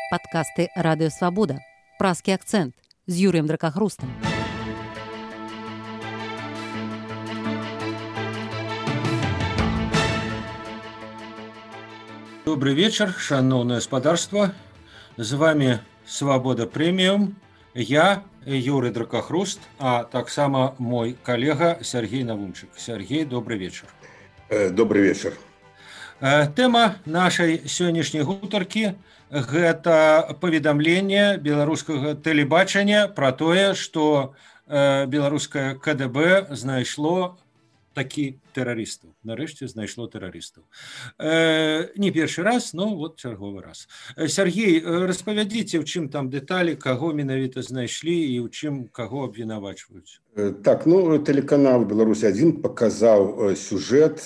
Падкасты Радыё Свабода. Празкі акцэнт з Юрыем Дракахрустам. Добрый вечер, шановное господарство. С вами Свобода Премиум. Я, Юрий Дракахруст, а так само мой коллега Сергей Навумчик. Сергей, добрый вечер. Добрый вечер. Тема нашай сённяшняй гутаркі – гэта паведамленне беларускага тэлебачання пра тое, што беларускае КДБ знайшло такі тэрарыстаў. Нарэшце знайшло тэрарыстаў. Не першы раз, но вот чарговы раз. Сергей, распавядзіце, ў чым там дэталі, каго менавіта знайшлі і ў чым каго абвінавачваюць. Так, тэлеканал «Беларусь-1» паказаў сюжэт,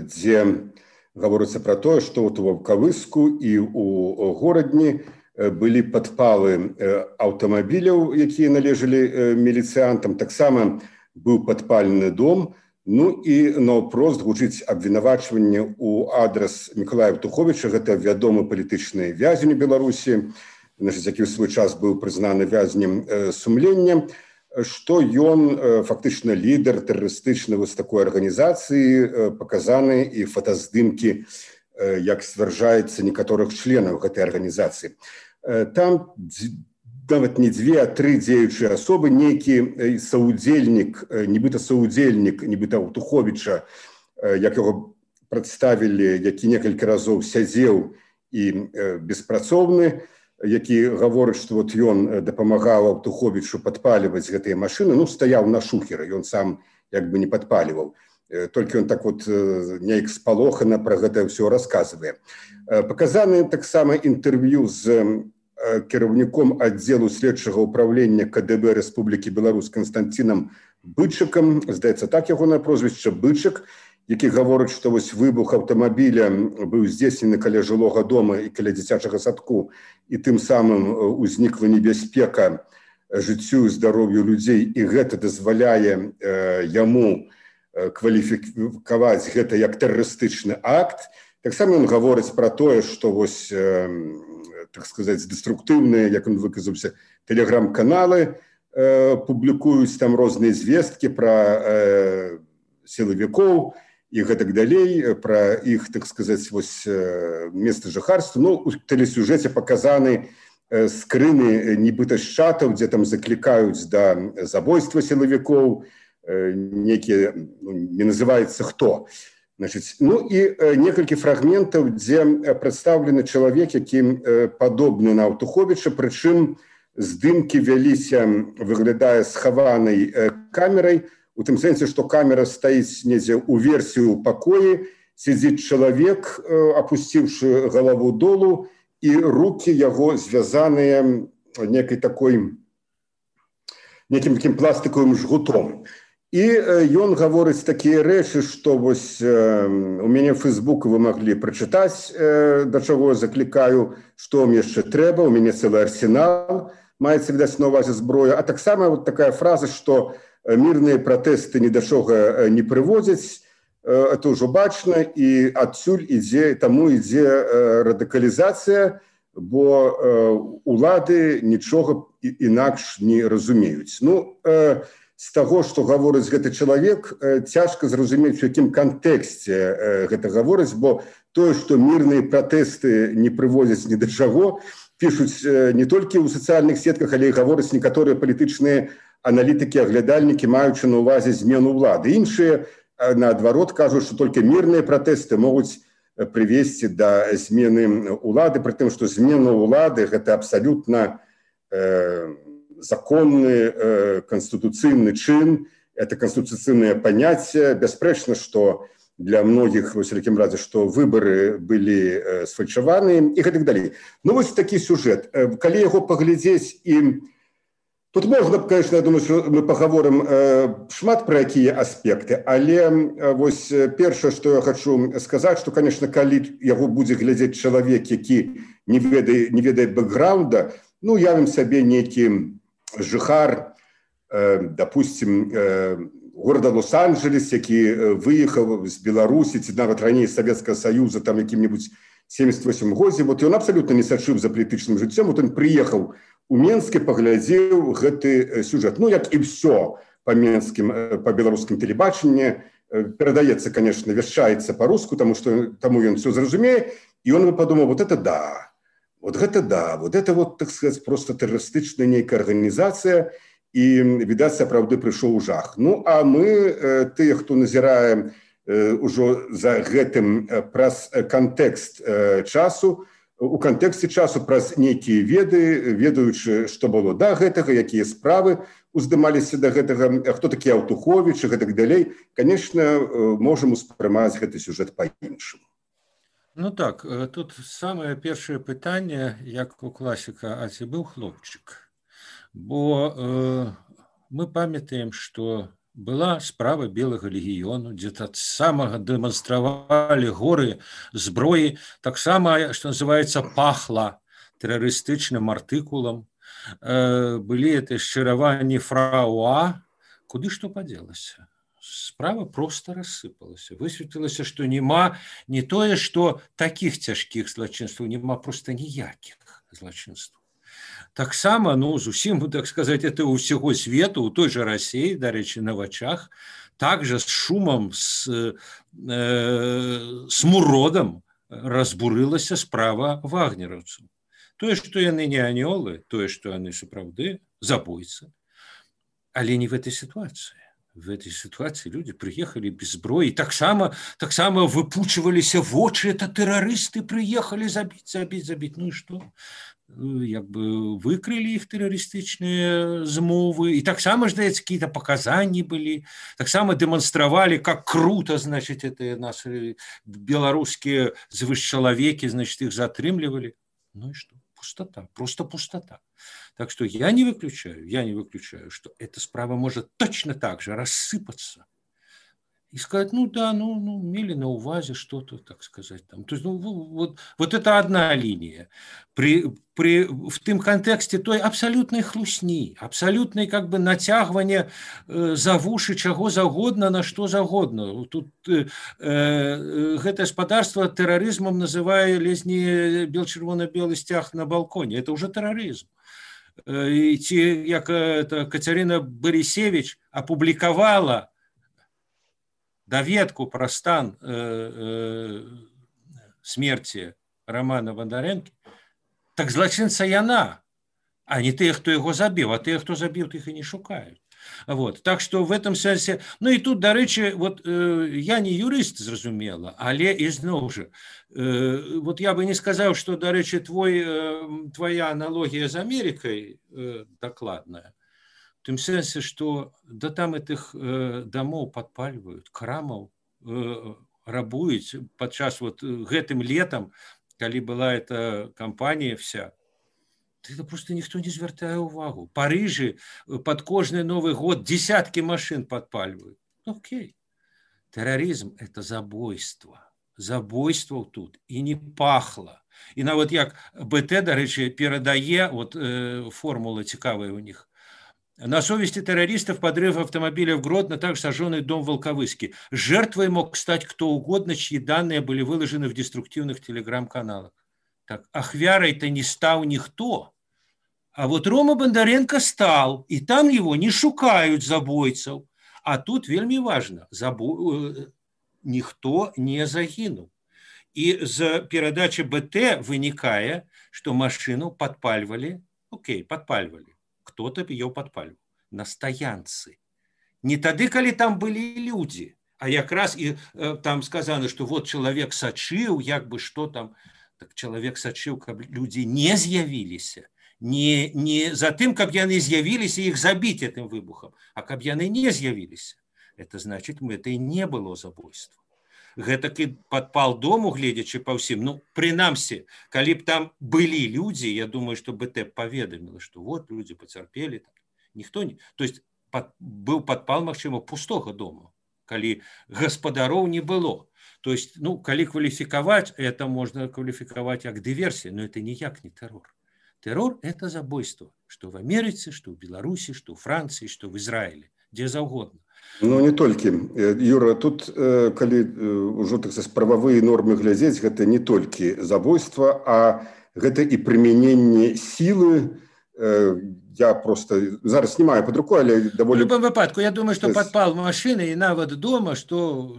дзе гаворыцца пра тое, што ў Ваўкавыску і ў горадні былі падпалы аўтамабіляў, якія належалі міліцыянтам. Таксама быў падпалены дом. Ну і наўпрост гучыць абвінавачванне ў адрас Мікалая Евтуховіча, гэта вядомы палітычны вязень у Беларусі, які ў свой час быў прызнаны вязнем сумлення, што ён фактычна лідар тэрарыстычнай вось такой арганізацыі, паказаны і фотаздымкі, як сцвярджаецца, некаторых членаў гэтай арганізацыі. Там нават не дзве, а тры дзеючыя асобы, нейкі саўдзельнік, нібыта Евтуховіча, як яго прадставілі, які некалькі разоў сядзеў і беспрацоўны, які гаворыць, што вот ён дапамагаў Евтуховічу падпаліваць гэтыя машыны, стаяў на шухеры, ён сам як бы не падпаліваў. Толькі ён так вот неяк спалохана пра гэта ўсё расказвае. Паказаны таксама інтэрв'ю з кіраўніком аддзелу следчага ўправлення КДБ Рэспублікі Беларусь Канстанцінам Бычыкам, здаецца, так ягонае прозвішча Бычык, які гаворыць, што вось выбух аўтамабіля быў здзейснены каля жылога дома і каля дзіцячага садку, і тым самым узнікла небяспека жыццю і здароўю людзей, і гэта дазваляе яму кваліфікаваць гэта як тэрарыстычны акт. Таксама ён гаворыць пра тое, што вось, так сказаць, деструктыўныя, як ён выказаўся, тэлеграм-каналы публікуюць там розныя звесткі пра сілавікоў і гэтак далей, пра іх, так сказаць, вось месцы жыхарства. У тэлесюжэце паказаны скрыны нібыта з чатаў, дзе там заклікаюць да забойства сілавікоў, некія, не называецца хто. І некалькі фрагментаў, дзе прадстаўлены чалавек, які падобны на Евтуховіча, прычым здымкі вяліся, выглядае схаванай камерай, у тым сэнсе, што камера стаіць недзе ў версію ў пакоі, сядзіць чалавек, апусціўшы галаву долу, і рукі яго звязаныя некім такім пластыкавым жгутом. І ён гаворыць такія рэчы, што вось у мяне ў Фейсбуку вы маглі прачытаць, да чаго я заклікаю, што вам яшчэ трэба, у мяне цэлы арсенал, маецца відаць на ўвазе зброя. А таксама вот такая фраза, што мірныя пратэсты ні да чога не прыводзяць, это ўжо бачна, і адсюль таму ідзе радыкалізацыя, бо улады нічога інакш не разумеюць. З таго, што гаворыць гэты чалавек, цяжка зразумець, у якім кантэксце гэта гаворыць, бо тое, што мірныя пратэсты не прыводзяць ні да чаго, пішуць не толькі ў сацыяльных сетках, але і гавораць некаторыя палітычныя аналітыкі, аглядальнікі, маючы на ўвазе змену ўлады. Іншыя, наадварот, кажуць, што толькі мірныя пратэсты могуць прывесці да змены ўлады, пры тым, што змена ўлады – гэта абсалютна законны канстытуцыйны чын, это канстытуцыйнае паняцце. Бясспрэчна, што для многіх, у всякім разе, што выбары былі сфальшаваныя і гэтак далей. Вось такі сюжэт. Калі яго паглядзець, і тут можна, конечно, я думаю, што мы пагаворым шмат пра якія аспекты, але вось першае, што я хачу сказаць, што, конечно, калі яго будзе глядзець чалавек, які не ведае бэкграунда, явім сабе нейкі жыхар, допустим, горада Лос-Анджелес, які выехаў з Беларусі, ці нават раней Савецкага Саюза, там якім-небудзь 78 годзе. Вот ён абсолютно не сачыў за палітычным жыццём. Вот он приехаў у Менск і паглядзеў гэты сюжэт. Ну, як і все по беларускім тэлебачанні, перадаецца, конечно, вяшчаецца по-руску, таму ён все зразумее, і он подумаў, вот это да, вот это вот, так сказать, просто тэрарыстычная нейкая арганізацыя, і, відаць, сапраўды прыйшоў жах. Ну, а мы, тыя, хто назірае ўжо за гэтым праз кантэкст часу, у кантэксце часу праз нейкія веды, ведаючы, што было да гэтага, якія справы уздымаліся да гэтага, хто такі Аўтуховіч і гэтак далей, конечно, можам успрымаць гэты сюжэт па-іншаму. Ну так, тут самае першае пытанне, як у класіка, а ці быў хлопчык? Бо мы памятаем, што была справа Белага легіёну, дзе таксама дэманстравалі горы зброі, таксама, што называецца, пахла тэрарыстычным артыкулам. Былі это шчыраванні фрауа, куды што падзелася? Справа просто рассыпалася. Высветлілася, што няма не тое, што такіх цяжкіх злачынстваў, няма проста ніякіх злачынстваў. Таксама, ну, зусім, так сказать, это у ўсяго свету, у той жа Расіі, дарэчы, на вачах, также з шумам, з смуродам разбурылася справа вагнераўцаў. Тое, што яны не анёлы, тое, што яны сапраўды забойцы, але не в этой ситуации. В этой ситуации люди приехали без зброі, таксама выпучваліся вочы, это тэрарысты приехали забіць. Ну и что? Як бы выкрылі іх тэрарыстычныя змовы, і таксама, здаецца, какие-то показания были, таксама дэманстравалі, как круто, значит, это наши беларускія звышчалавекі, значит, их затрымлівалі. Ну и что? Пустота, просто пустота. Так что я не выключаю, что эта справа может точно так же рассыпаться и сказать, ну да, ну имели на увазе что-то, так сказать. Там. То есть, ну, вот это одна линия. В тым контексте той абсолютной хлусні, абсолютной как бы натягивания за вушы чаго загодна, на что загодна. Тут гэта гаспадарства тэрарызмам называе ледзь не бел-чырвона-белы сцяг на балконе. Это уже тэрарызм. І ці, як Кацярына Барысевіч апублікавала даведку пра стан смерці Романа Бондаренкі, так злачынца яна, а не тыя, хто яго забіў, а тыя, хто забіў, тых і не шукаюць. Вот. Так что в этом сенсе, ну и тут, дарэчы, вот я не юрист, зразумела, але ізноў жа, вот я бы не сказал, что, дарэчы, твоя аналогия с Америкой докладная, в тым сенсе, что да там этих домов подпаливают, крамаў рабуюць падчас вот гэтым летом, калі была эта кампания вся, это просто никто не звяртае увагу. В Париже под кожный Новый год десятки машин подпаливают. Окей. Терроризм – это забойство. Забойство тут. И не пахло. И нават як БТ, дарэчы, перадае, вот формула цікавая у них. На совести террористов подрыв автомобиля в Гродно, также сожженный дом в Волковыске. Жертвой мог стать кто угодно, чьи данные были выложены в деструктивных телеграм-каналах. Так, ахвярой-то не стал никто. А вот Рома Бондаренко стал, и там его не шукают забойцев. А тут вельми важно, никто не загинул. И з передачи БТ вынікае, что машину подпаливали, подпаливали. Кто-то ее подпаливал на стоянцы. Не тады, калі там были люди, а якраз и там сказано, что вот человек сачыў, як бы что там, так человек сачыў, каб люди не з'явіліся. Не за тым, каб яны з'явіліся іх забіць этим выбухом, а каб яны не з'явіліся. Это значит, это и не было забойства. Гэтакі падпал дому, гледзячы па ўсім, ну, прынамсі, калі б там былі людзі, я думаю, что БТ паведаміла, что вот люди поцярпелі, ніхто не... То есть быў падпал, магчыма, пустога дома, калі гаспадароў не было. То есть, ну, калі кваліфікаваць, это можно кваліфікаваць як дыверсія, но это ніяк не террор. Террор – это забойство, что в Америке, что в Беларуси, что в Франции, что в Израиле, где угодно. Ну не толькі, Юра, тут калі ўжо так сказаць прававыя нормы глядзець, гэта не толькі забойства, а гэта і прымяненне сілы. Я просто зараз не маю под рукой, але даволі... В любом выпадку, я думаю, что подпал машины и нават дома, что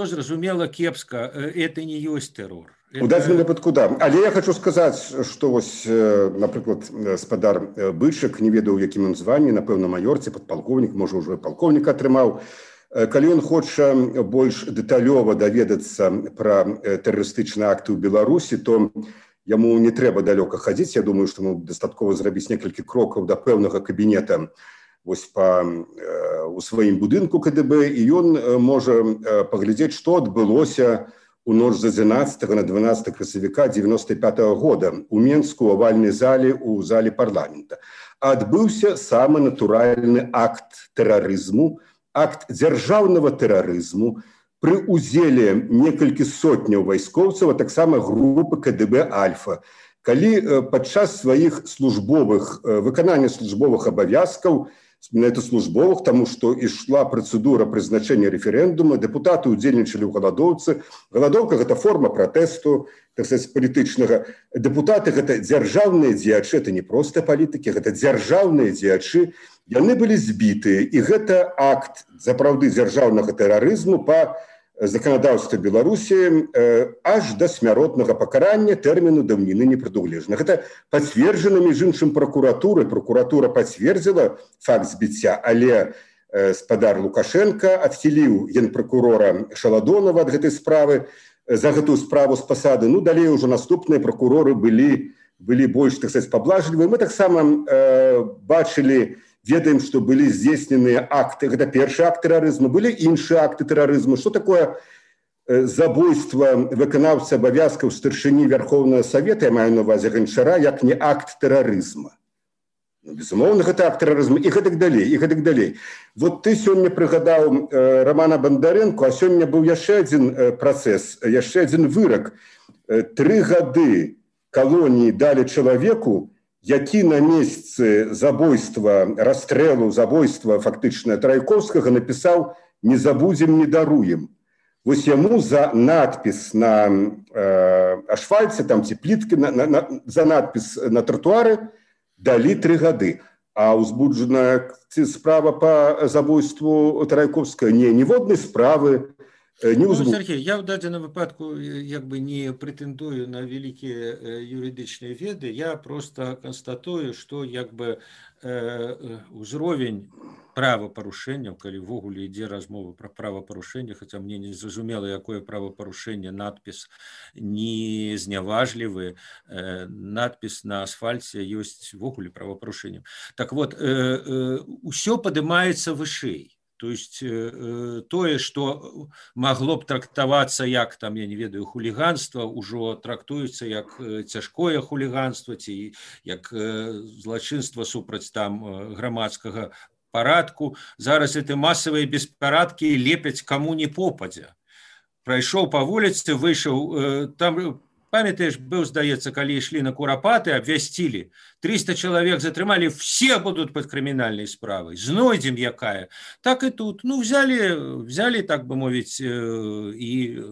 зразумела кепска, это не ёсць тэрор. У дадзеным выпадку, да. Але я хочу сказаць, што вось, напрыклад, спадар Бычак, не ведаў, у якім ён званні, напэўна, маёр ці падпалкоўнік, можа, ўжо і палкоўнік атрымаў. Калі ён хоча больш дэталёва даведацца пра тэрарыстычныя акты ў Беларусі, то яму не трэба далёка хадзіць. Я думаю, што яму дастаткова зрабіць некалькі крокаў да пэўнага кабінета вось у сваім будынку КДБ, і ён можа паглядзець, што адбылося у ноч з 11 на 12 красавіка 95-го года у Менску, у авальнай зале, у зале парламента. Адбыўся самы натуральны акт тэрарызму, акт дзяржаўнага тэрарызму, пры ўдзеле некалькі сотняў вайскоўцаў, а таксама групы КДБ «Альфа». Калі падчас сваіх выканання службовых абавязкаў, менавіта службовых, таму што ішла працэдура прызначэння рэферэндума, дэпутаты ўдзельнічалі ў галадоўцы. Галадоўка – гэта форма пратэсту, так сказаць, палітычнага. Дэпутаты – гэта дзяржаўныя дзеячы, это не проста палітыкі, гэта дзяржаўныя дзеячы. Яны былі збітыя, і гэта акт сапраўды дзяржаўнага тэрарызму па заканадаўства Беларусі аж да смяротнага пакарання, тэрміну даўніны не прадугледжана. Гэта пацверджана, між іншым, пракуратурай. Пракуратура пацвердзіла факт збіцця, але спадар Лукашенка адхіліў генпракурора Шаладонова ад гэтай справы, за гэтую справу з пасады. Ну, далей ужо наступныя пракуроры былі больш, так сказаць, паблажлівыя. Мы таксама бачылі, ведаем, што былі здзейсненыя акты, гэта першы акт тэрарызму, былі іншыя акты тэрарызму. Што такое забойства выканаўцы абавязкаў старшыні Вярхоўнага Савета, я маю на ўвазе Ганчара, як не акт тэрарызма. Ну, безумоўна, гэта акт тэрарызму, і гэтак далей, і гэтак далей. Вот ты сёння прыгадаў Романа Бондаренко, а сёння быў яшчэ адзін працэс, яшчэ адзін вырак. 3 гады калоніі далі чалавеку, які на месцы забойства, расстрэлу, забойства фактычна Трайкоўскага напісаў «Не забудзем, не даруем». Вось яму за надпіс на ашфальце, там ці пліткі, за надпіс на тротуары далі 3 гады. А узбуджаная справа па забойству Трайкоўскага ніводнай справы не ўзбуджана. Сергей, я в дадзеным выпадку як бы не претендую на вялікія юрыдычныя веды, я просто констатую, што як бы узровень правапарушэнняў, калі ўвогуле ідзе размова пра правапарушэнне, хаця мне не зразумела, якое правапарушэнне, надпіс не зняважлівы, надпіс на асфальце ёсць ўвогуле правапарушэннем. Так вот, усё падымаецца вышэй. То есть тое, што магло б трактавацца як, там, я не ведаю, хуліганства, ўжо трактуецца як цяжкое хуліганства ці як злачынства супраць там грамадскага парадку. Зараз эти масавыя беспарадкі лепяць каму не попадзя. Прайшоў па вуліцы, выйшаў, там, памятаеш, быў, здаецца, калі ішлі на курапаты, абвясцілі, 300 чалавек затрымалі, все будут под крымінальнай справай, знойдзем якая. Так и тут, ну, взяли, так бы мовіць, и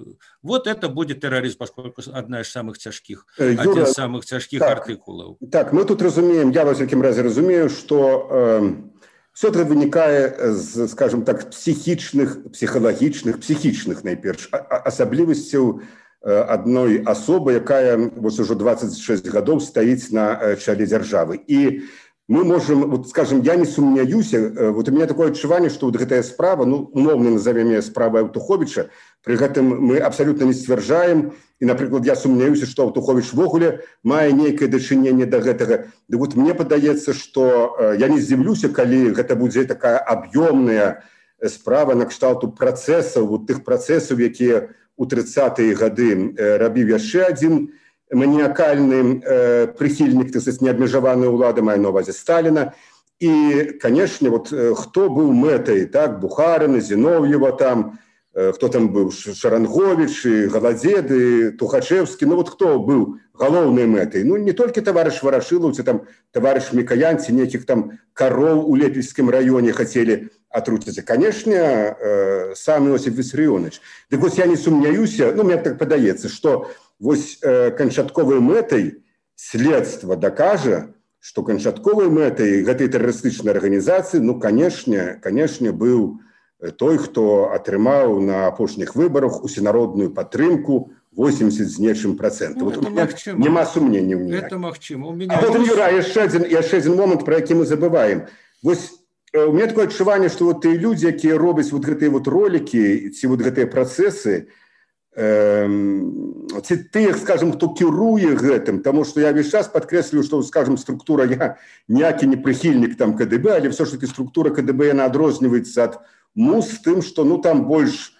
вот это будет терроризм, поскольку один из самых тяжких артикулов. Так, мы тут разумеем, я во всяком разе разумею, что все это вынікае з, скажем так, психічных найперш асаблівасцяў адной асобы, якая вось ужо 26 гадоў стаіць на чале дзяржавы. І мы можем, вот, скажем, я не сумняюся, вот у меня такое адчуванне, што вот гэтая справа, ну, умоўна назовем яе справай Аўтуховіча, пры гэтым мы абсалютна не сцвярджаем, і, напрыклад, я сумняюся, што Аўтуховіч вогуле мае нейкае дачыненне да гэтага. Ды вот мне падаецца, што я не здзіўлюся, калі гэта будзе такая аб'ёмная справа накшталту працэсаў, вот тых працэсаў, якія у 30-е гады рабіў яшчэ адзін маніякальны прыхільнік, так сказать, неабмежаванай улады, маю на ўвазе Сталіна. І, канешне, вот хто быў мэтай, так, Бухарына, Зінов'ева там, хто там быў, Шаранговіч, Галадзед, Тухачевскі, ну вот хто быў галоўнай мэтай? Ну, не толькі таварыш Варашылаў, ці там таварыш Мікаян, ці нейкіх там кароў у Лепельскім раёне хацелі атруціцца. Канешне, сам Іосиф Виссарионович. Дык вось я не сумняюся, ну, мне так падаецца, што вось канчатковай мэтай следства дакажа, што канчатковай мэтай гэтай тэрарыстычнай арганізацыі, ну, канешне, быў той, хто атрымаў на апошніх выбарах усенародную падтрымку 80 з нечым процентаў. Ну, няма сумненняў ніякіх. Это магчыма. А потым, Юра, яшчэ адзін момант, про які мы забываем. Вось у меня такое адчуванне, што вот тыя людзі, якія робяць вот гэтыя вот ролики, ці вот гэтыя працэсы, ці тых, скажем, хто кіруе гэтым, таму што я весь час падкрэслю, што, скажем, структура, я ніякі не прыхільнік там КДБ, але все ж таки структура КДБ, яна адрозніваецца ад МУС тым, што, ну, там больш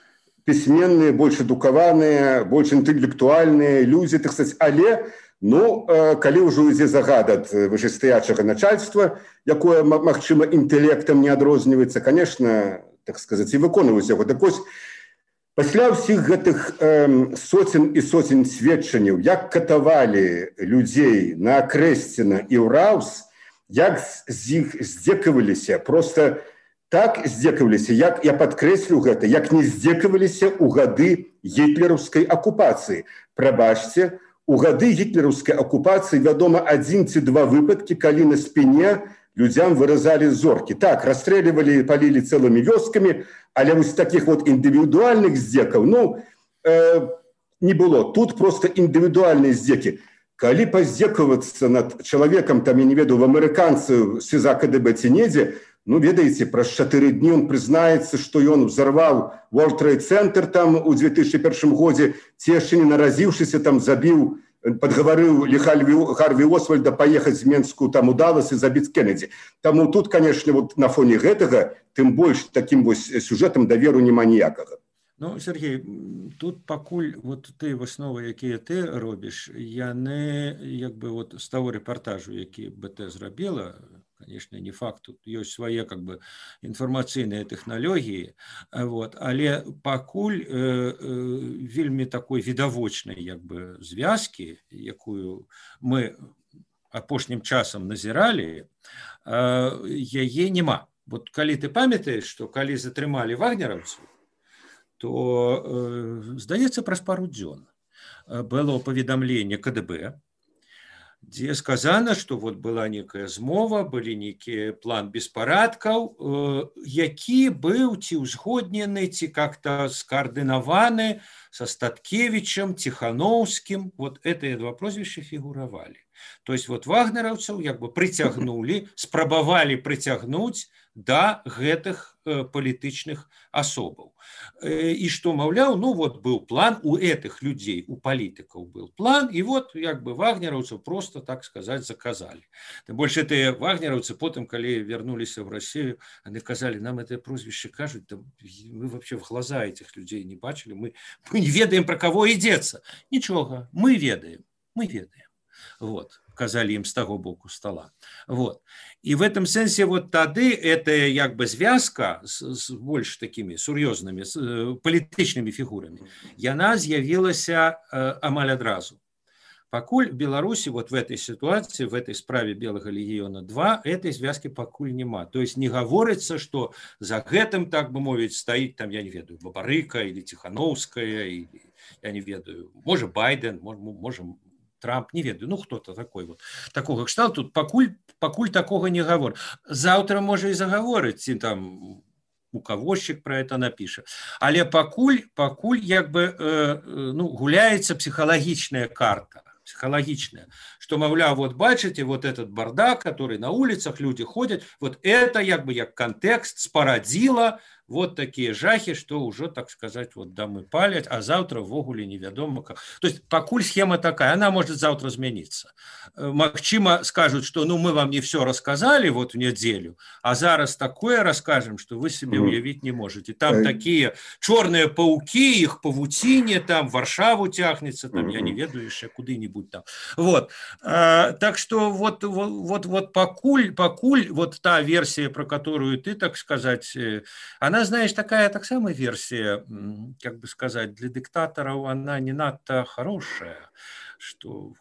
пісьменныя, больш адукаваныя, больш інтэлектуальныя людзі, так сказать, але, ну, калі ўжо ідзе загад ад вышэйстаячага начальства, якое, магчыма, інтэлектам не адрозніваецца, конечно, так сказать, і выконваюць яго. Так вось, пасля ўсіх гэтых соцен і соцен сведчанняў, як катавалі людзей на Крэсціна і ўраўс, як з іх здзекаваліся, просто так здзекаваліся, як я падкрэслю гэта, як не здзекаваліся ў гады гітлераўскай акупацыі. Прабачце, у гады гітлераўскай акупацыі, вядома, 1 ці 2 выпадкі, калі на спіне людзям выразалі зоркі. Так, расстрэльвалі, палілі цэлымі вёскамі, але вось такіх вот індывідуальных здзекаў, ну, не было. Тут просто індывідуальныя здзекі. Калі паздзекавацца над чалавекам, там, я не ведаю, в амерыканцы СІЗА КДБ ці недзе, ну, ведаеце, праз 4 дні он прызнаецца, што ён взорваў World Trade Center там у 2001 годзе, ці яшчэ не наразіўшыся там забіў, падгаварыў Харві Освальда паехаць з Менску там у Даллас і забіць Кеннеді. Таму тут, конечно, вот на фоне гэтага, тым больш такім вось сюжэтам даверу няма ніякага. Ну, Сергей, тут пакуль вот ты высновы, якія ты робіш, яны як бы вот з таго рэпартажу, які БТ зрабіла, конечно, не факт, тут ёсць свае как бы інфармацыйныя тэхналогіі, вот, але пакуль вельмі такой відавочнай як бы звязкі, якую мы апошнім часам назіралі, яе няма. Вот калі ты памятаеш, што калі затрымалі вагнераўцаў, то, здаецца, праз пару дзён было паведамленне КДБ, дзе сказана, што вот была некая змова, былі нейкі план беспарадкаў, які быў ці ўзгоднены, ці как-то скаардынаваны са Статкевічам, Ціхановскім. Вот гэтыя 2 прозвішчы фігуравалі. То есть вот вагнераўцаў як бы прыцягнулі, спрабавалі прыцягнуць да гэтых палітычных асобаў. І што, маўляў, ну вот быў план у гэтых людзей, у палітыкаў был план, і вот як бы вагнераўцаў просто, так сказать, заказалі. Тым больш гэтыя вагнераўцы потым, калі вярнуліся в Россию, они казалі, нам это прозвішча кажуць, мы вообще в глаза этих людей не бачили, мы не ведаем, про кого ідзецца. Нічога, мы ведаем. Вот, казали им с того боку стола. Вот. И в этом сенсе вот тады эта як бы звязка с больш такими сур'ёзнымі палітычнымі фігурамі, яна з'явілася амаль адразу. Пакуль в Беларуси вот в этой ситуации, в этой справе Белого легиона 2, этой связки пакуль нема. То есть не говорится, что за гэтым, так бы мовить, стоит там, я не ведаю, Бабарыка или Тихановская, или, я не ведаю, может Байден, может Трамп, не ведаю, ну кто-то такой вот, такого кшталту, тут пакуль такого не говорит. Завтра может и заговорить, и там указчик про это напишет. Але пакуль як бы, ну, гуляется психологичная карта. Психологичная, что, мовляв, вот бачите, вот этот бардак, который на улицах люди ходят, вот это як бы як контекст спарадзіла вот такие жахи, что уже, так сказать, вот дамы палят, а завтра ввогуле невядома как. То есть пакуль схема такая, она может завтра измениться. Магчыма скажут, что ну мы вам не все рассказали вот в неделю, а зараз такое расскажем, что вы себе уявить не можете. Там такие черные пауки, их павуцінне, там Варшаву тягнется, там я не ведаю еще куды-нибудь там. Вот. Так что вот пакуль вот та версия, про которую ты, так сказать, она, знаешь, такая так самая версия, как бы сказать, для диктаторов она не надто хорошая, что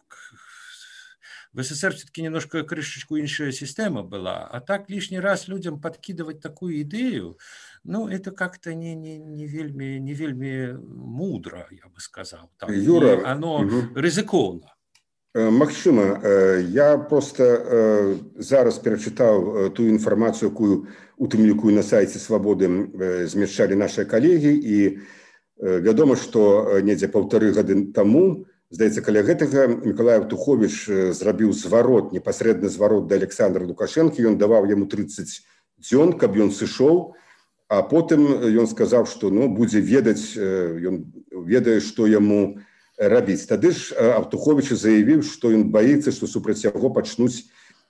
В СССР все-таки немножко крышечку иншая система была, а так лишний раз людям подкидывать такую идею, ну, это как-то не вельми мудро, я бы сказал. Так. Юра, И оно рызыкоўна. Магчыма, я просто зараз перачытаў ту інфармацыю, якую у тым ліку на сайце Свабоды змяшчалі нашыя калегі, і вядома, што недзе 1,5 гады таму, здаецца, каля гэтага Мікалай Аўтуховіч зрабіў зварот, непасрэдны зварот да Александра Лукашэнкі, ён даваў яму 30 дзён, каб ён сышоў, а потым ён сказаў, што будзе ведаць, ён ведае, што яму рабіць. Тады ж Аўтуховіч заявіў, што ён баіцца, што супраць яго пачнуць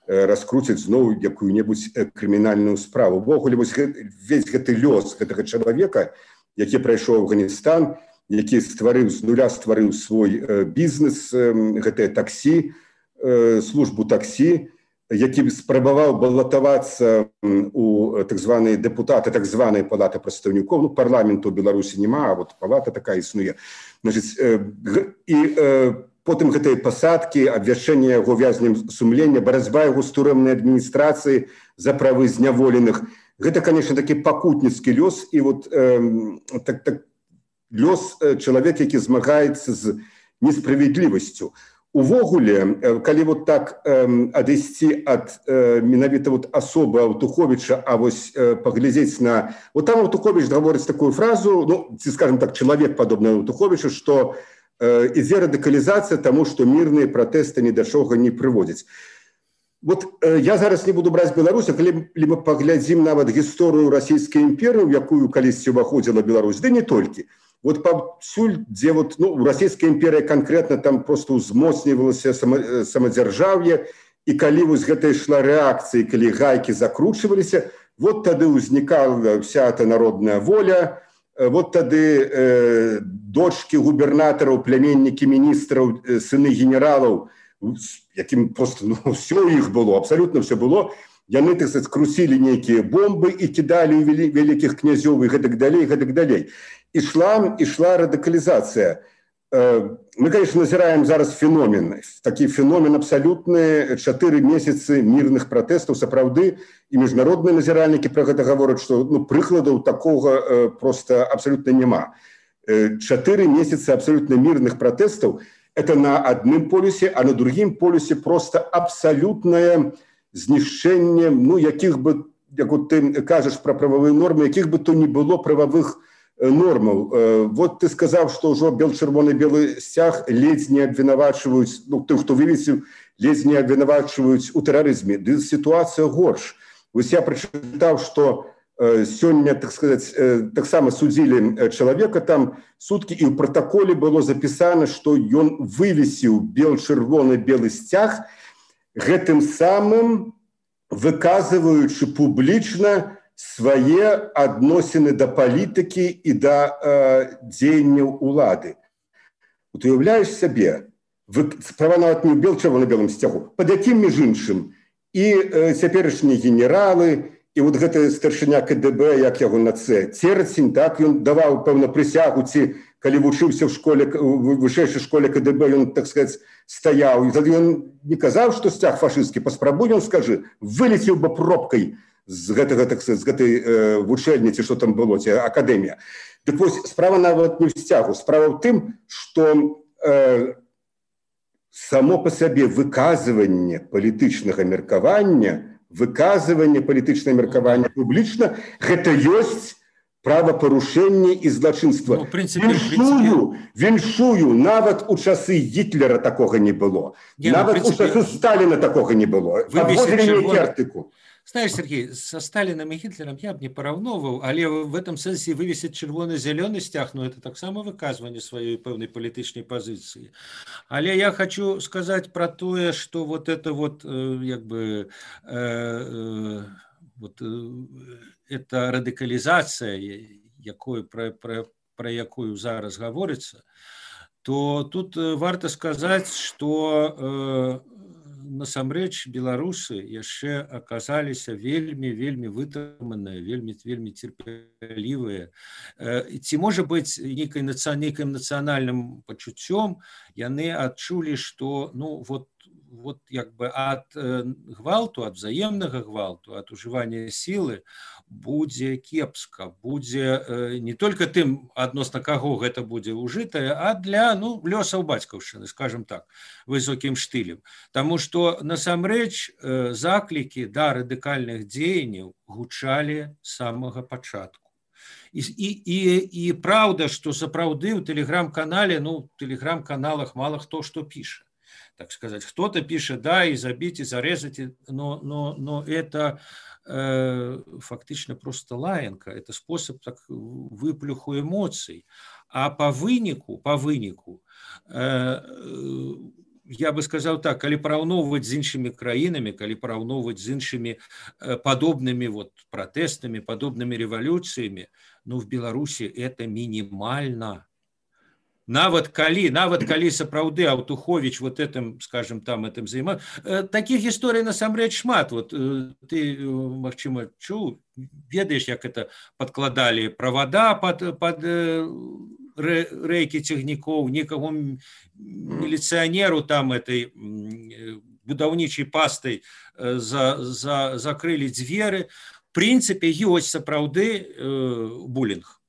раскруціць зноў якую-небудзь крымінальную справу. Увогуле, весь гэты лёс гэтага чалавека, які прайшоў Афганістан, які з нуля стварыў свой бізнес, гэтае таксі, службу таксі, які спрабаваў балатавацца у так званыя дэпутаты, так званыя палаты прадстаўнікоў, парламенту ў Беларусі няма, а вот палата такая існуе. І потым гэтыя пасадкі, абвяшчэнне яго вязнем сумлення, барацьба яго з турэмнай адміністрацыі за правы зняволеных. Гэта, конечно, такі пакутніцкі лёс, і вот лёс чалавека, які змагаецца з несправядлівасцю. Увогуле, калі вот так адысці ад менавіта вот асобы Аўтуховіча, а вось паглядзець на... Вот там Аўтуховіч гаворыць такую фразу, ці, скажем так, чалавек падобны Аўтуховічу, што ідзе радыкалізацыя таму, што мірныя пратэсты ні да чага не прыводзяць. Вот я зараз не буду браць Беларусь, калі мы паглядзім нават гісторыю расійскай імперыі, у якую калісьці ўваходзіла Беларусь, ды не толькі. Вот паўсюль, дзе вот, расійская імперія канкрэтна там просто узмоцнівалася самадзяржаўе, і калі вось гэта ішла рэакцыя, калі гайкі закручваліся, вот тады ўзнікала вся эта народная воля, вот тады дочкі губернатараў, пляменнікі міністраў, сыны генералаў, якім просто ўсё іх было, абсалютна ўсё было, яны, так сказать, крусілі нейкія бомбы і кідалі ў вялікіх князёў і гэтак далей. Ішла радыкалізацыя. Мы, конечно, назіраем зараз феномен. Такі феномен абсалютны, 4 месяцы мірных пратэстаў, сапраўды, і міжнародныя назіральнікі пра гэта гавораць, што прыкладаў такога просто абсалютна няма. 4 месяцы абсалютна мірных пратэстаў – это на адным полюсе, а на другім полюсе просто абсалютнае знішчэнне, якіх бы, як ты кажаш пра прававыя нормы, якіх бы то не было прававых нормаў. Вот ты сказаў, што ўжо чырвоны-белы сцяг ледзь не абвінавачваюць, тых, хто вывесіў, ледзь не абвінавачваюць у тэрарызме. Ды сітуацыя горш. Вось я прачытаў, што сёння, так сказаць, таксама судзілі чалавека там суткі, і ў пратаколе было запісана, што ён вывесіў чырвоны-белы сцяг, гэтым самым выказваючы публічна свае адносіны да палітыкі і да дзеянняў улады. Вот уяўляеш сябе, справа нават не ў чырвона-белым сцягу, пад якім, між іншым, і цяперашнія генералы, і вот гэты старшыня КДБ, як яго на Церцень, так, ён даваў, пэўна, прысягу, ці калі вучыўся ў вышэйшай школе КДБ, ён, так сказаць, стаяў, і тады ён не казаў, што сцяг фашысцкі, паспрабуй, ён скажы, вылецеў бы пробкай з гэтага, так сказаць, з гэтай вучэльні, ці што там было, ці акадэмія. Дык вось, справа нават не ў сцягу, справа ў тым, што само па сабе выказванне палітычнага меркавання, публічна, гэта ёсць правапарушэнне і злачынства. Віншую, нават у часы Гітлера такога не было. Нават у часы Сталіна такога не было. Абводзілі нейкі артыкул. Знаешь, Сергей, со Сталином и Гитлером я бы не параўноўваў, але в этом сэнсе вывесіць чырвоны-зялёны сцяг, это таксама выказванне сваёй пэўнай палітычнай пазіцыі. Але я хочу сказать про тое, что вот это вот, эта радыкалізацыя, про якую зараз гаворыцца, то тут варта сказаць, што насамрэч беларусы яшчэ аказаліся вельмі вытрыманыя, вельмі цярпелівыя. Ці можа быць нейкім нацыянальным пачуццём яны адчулі, што вот як бы ад гвалту, ад взаемнага гвалту, ад ужывання сілы будзе кепска, будзе не только тым, адносна каго гэта будзе ўжытае, а для лёсаў бацькаўшчыны, скажем так, высокім штылем. Таму што насамрэч заклікі да радыкальных дзеянняў гучалі з самага пачатку. І праўда, што сапраўды ў тэлеграм-канале, тэлеграм-каналах мало хто што піша. Так сказать, кто-то пишет, да, и забить, и зарезать, но это фактично просто лаянка, это способ так, выплюху эмоций. А по вынику, я бы сказал так, калі параўноўваць з іншымі краінамі, калі параўноўваць з іншымі падобнымі пратэстамі, падобнымі рэвалюцыямі, в Беларусі это мінімальна. Нават калі сапраўды Аўтуховіч этим, скажем, этим займаецца. Такіх гісторый насамрэч шмат. Ты, магчыма, чуў, ведаеш, як это падкладалі правада под рэйкі цягнікоў, некаго міліцыянеру там этой будаўнічай пастай закрылі дзверы. В прынцыпе, ёсць сапраўды булінг.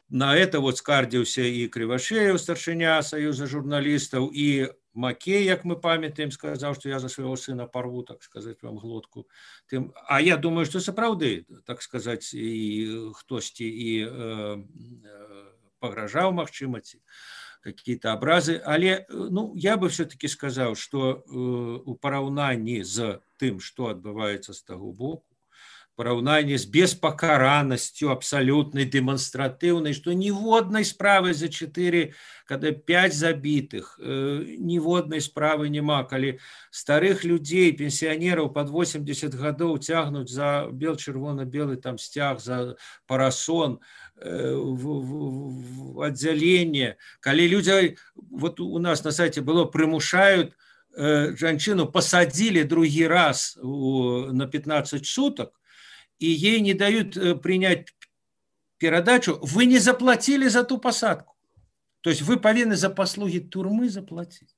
На это скардзіўся і Крывашеев, старшыня Саюза журналістаў, і Макей, як мы памятаем, сказаў, што я за свайго сына парву, так сказаць, вам глотку. А я думаю, што сапраўды, так сказаць, і хтосьці і пагражаў, магчыма, ці какие-то абразы. Але я бы все-таки сказаў, што у параўнанні з тым, што адбываецца з таго боку, параўнанне з беспакаранасцю абсалютнай дэманстратыўнай, што ніводнай справы за 4, когда 5 забітых, ніводнай справы няма, калі старых людзей, пенсіянераў пад 80 гадоў цягнуць за чырвона-белы там сцяг, за парасон, в аддзяленне, калі людзі, у нас на сайце было, прымушаюць жанчыну, пасадзілі другі раз на 15 суток, и ей не дают принять передачу, вы не заплатили за ту посадку. То есть вы повинны за послуги турмы заплатить.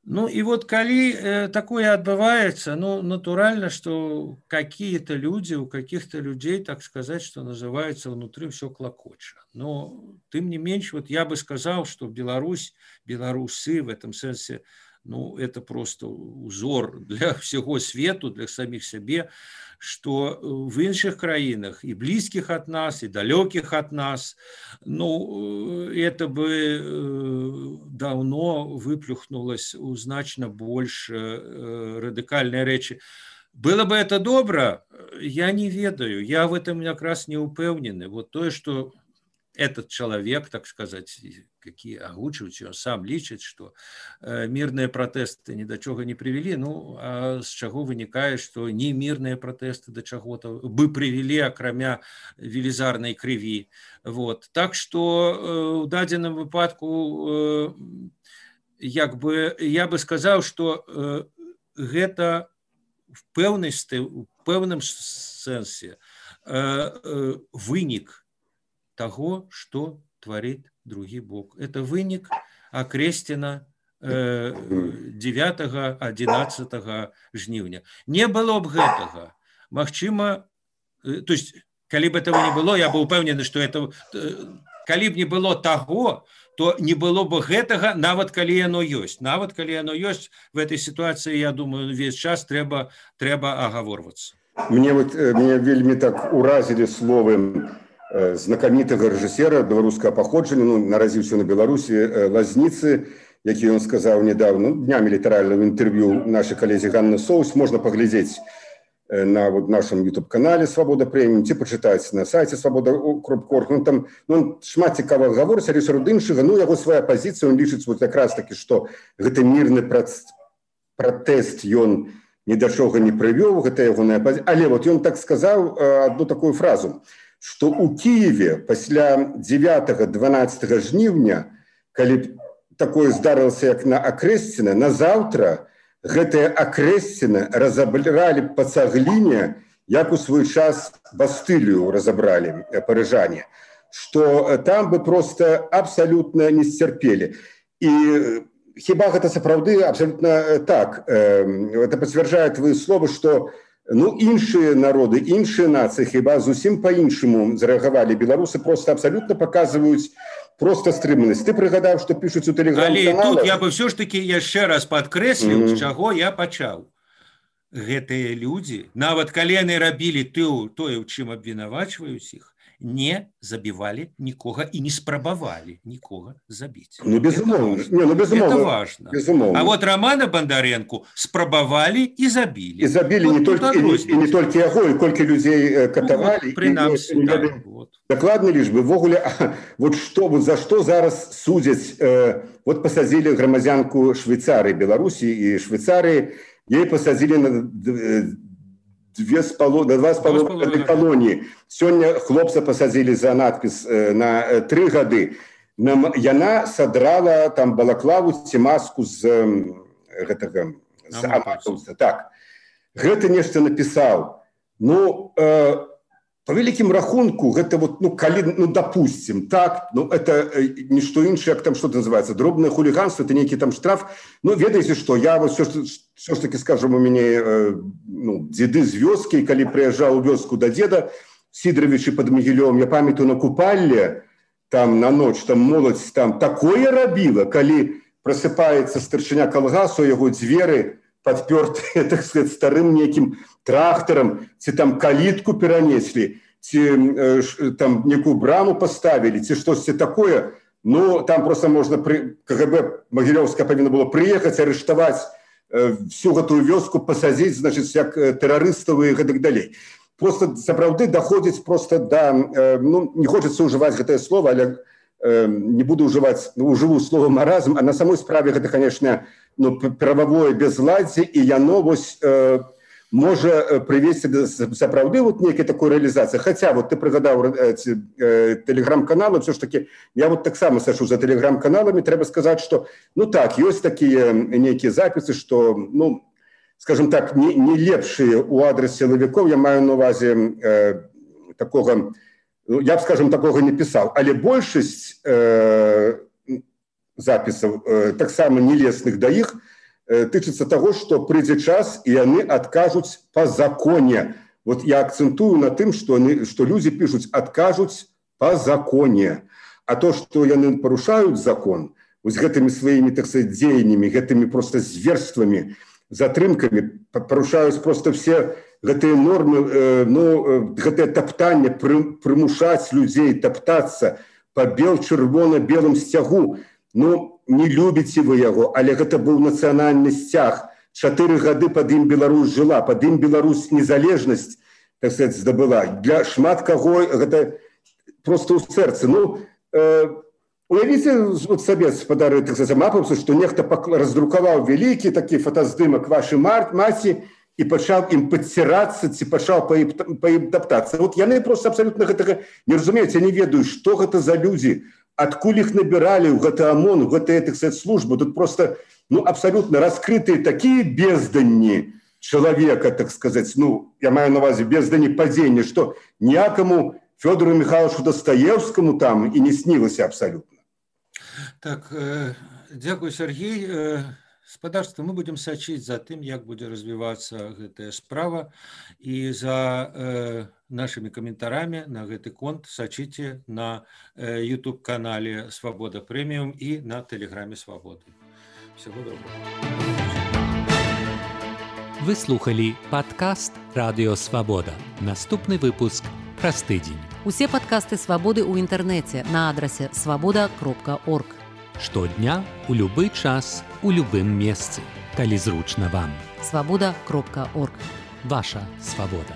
И коли такое отбывается, натурально, что какие-то люди, у каких-то людей, так сказать, что называется, внутри все клокоча. Но тем не меньше, я бы сказал, что белорусы в этом смысле, это просто узор для всего свету, для самих себе, что в іншых краінах, и близких от нас, и далеких от нас, это бы давно выплюхнулось у значно больше радикальной речи. Было бы это добро, я не ведаю, я в этом как раз не упэўнены. То, что этот человек, так сказать, какие агучивают, он сам лічыць, что мирные протесты ни до чего не привели, а с чего вынікае, что не мирные протесты до чего-то бы привели, акрамя велізарной крыві. Так что в дадзеным выпадку я бы сказал, что гэта в пэўным сэнсе вынік того, что творит другі бок. Это вынік Акрэсціна 9-11 жніўня. Не было б гэтага. Магчыма, то есть, калі б этого не было, я бы упэўнены, что это, калі б не было таго, то не было бы гэтага, нават калі яно ёсць. Нават калі яно ёсць, в этой ситуации, я думаю, весь час трэба агаворвацца. Меня вельмі так уразили словы знакамітага рэжысера беларускага паходжання, наразіўся на Беларусі, Лазніцы, які ён сказаў недавно, днямі літаральна в інтэрв'ю нашай калезе Ганны Соус, можна паглядзець на нашым YouTube-канале «Свабода прэміум», ці пачытаць на сайце «Свабода.орг». Там шмат цікавага гаворыць, але сярод іншага, яго свая пазіцыя, ён лічыць якраз такі, што гэты мірны пратэст ён ні да чога не прывёў, гэта ягоная пазіцыя. Але ён так сказаў одну такую фразу, что у Киеве пасля 9-12 жніўня, калі такое здарылася, як на Акрэсціна, на заўтра гэтыя Акрэсціна разабралі па цагліне, як у свой час Бастылію разабралі парыжане, што там бы просто абсолютно не сцярпелі. І хіба гэта сапраўды абсолютно так. Это подтверждает твои слова, что іншыя народы, іншыя нацыі хіба зусім по-іншаму зарэагавалі. Беларусы просто абсолютно показываюць просто стрыманасць. Ты прыгадаў, што пішуць у тэлеграм-каналах. Але тут я бы все ж таки яшчэ раз падкрэсліў, з чаго я пачаў. Гэтыя людзі, нават калі яны рабілі тое, у чым абвінавачваюць іх, не забивали нікога і не спрабавалі нікога забіць. Безумоўна. Это важно. Безумоўна. А вот Романа Бондаренко спрабавалі і забілі. І забілі не толькі яго, і колькі людзей катавалі. Прынамсі, так. Дакладны лічбы. Ввогуле, за што зараз судзяць, пасадзілі грамадзянку Швейцарыі, Беларусі і Швейцарыі, ей пасадзілі на 2,5 колонии. Сёння хлопца пасадзілі за надпіс на 3 гады. Яна садрала там балаклаву ці маску з аматаўца. Так. Гэта нешта напісаў. По вялікім рахунку, гэта калі, допустим, так, это не што іншае, як там что-то называется, дробное хулиганство, это некий там штраф. Ведаеце што, я все ж таки, скажем, у мяне дзеды з вёскі, калі прыязджаў у вёску да дзеда Сидоровича под Могилёвым, я памятаю на купальне, там на ноч, там моладзь там такое рабіла, калі просыпаецца старшыня калгасу, яго дзверы подпёртыя, так сказать, старым некім трактарам, ці там калітку перанеслі, ці там некую браму поставілі, ці штосьці такое. Там просто можна КГБ Могилёўская павінна было прыехаць, арыштаваць всю гэтую вёску, пасадзіць, значит, як тэрарыстаў і гэтак далей. Просто сапраўды доходзіць просто да, не хочется ўжываць гэтае слово, але не буду ўжываць ужыву слово маразм, а на самой справе гэта, конечно, прававое безладдзе, і яно можа прывесці да сапраўды нейкай такой рэалізацыі. Хаця ты прыгадаў тэлеграм-каналы, все ж таки я таксама сачу за тэлеграм-каналамі, трэба сказаць, што так, ёсць такія нейкія запісы, што скажем так, не лепшыя у адрес сілавікоў, я маю на увазе такога, я б, скажем, такога не пісаў, але большасць запісаў, таксама нелесных да іх, тычыцца таго, што прыйдзе час, і яны адкажуць па законе. Я акцэнтую на тым, што людзі пішуць, адкажуць па законе. А то, што яны парушаюць закон, гэтымі сваімі, так сказать, дзеяннямі, гэтымі просто зверствамі, затрымкамі, парушаюць просто все гэтыя нормы, гэтае таптанне, прымушаць людзей таптацца па чырвона-белым сцягу. Не любіце вы яго, але гэта быў нацыянальны сцяг. 4 гады пад ім Беларусь жыла, пад ім Беларусь незалежнасць, так сказать, здабыла. Для шмат каго гэта просто ў сэрцы. Уявіце сабе, спадары, так сказать, мапаўцы, што нехта раздрукаваў вялікі такі фотаздымак вашай маці і пачаў ім падцірацца, ці пачаў па ім таптацца. Яны просто абсолютно гэтага не разумеюць, я не ведаю, што гэта за людзі, адкуль іх набіралі ў гэты ОМОН, у гэтыя, так сказать, службы. Тут просто, абсолютно раскрытыя такія безданні чалавека, так сказать, я маю на увазе безданні падзення, што ніякаму Фёдору Михайловичу Достоевскому там і не снілася абсолютно. Так, дзякуй, Сергей. Спадарства, мы будем сачыць за тым, як будзе развівацца гэтая справа, і за нашими каментарамі на гэты конт сачыце на YouTube-канале «Свобода Премиум» і на Телеграме «Свободы». Всего доброго. Вы слухали падкаст «Радыё Свабода». Наступны выпуск праз тыдзень. Усе падкасты «Свабоды» ў інтэрнэце на адрасе svoboda.org. Штодня, у любы час, у любым месцы, калі зручна вам. svoboda.org. Ваша свабода.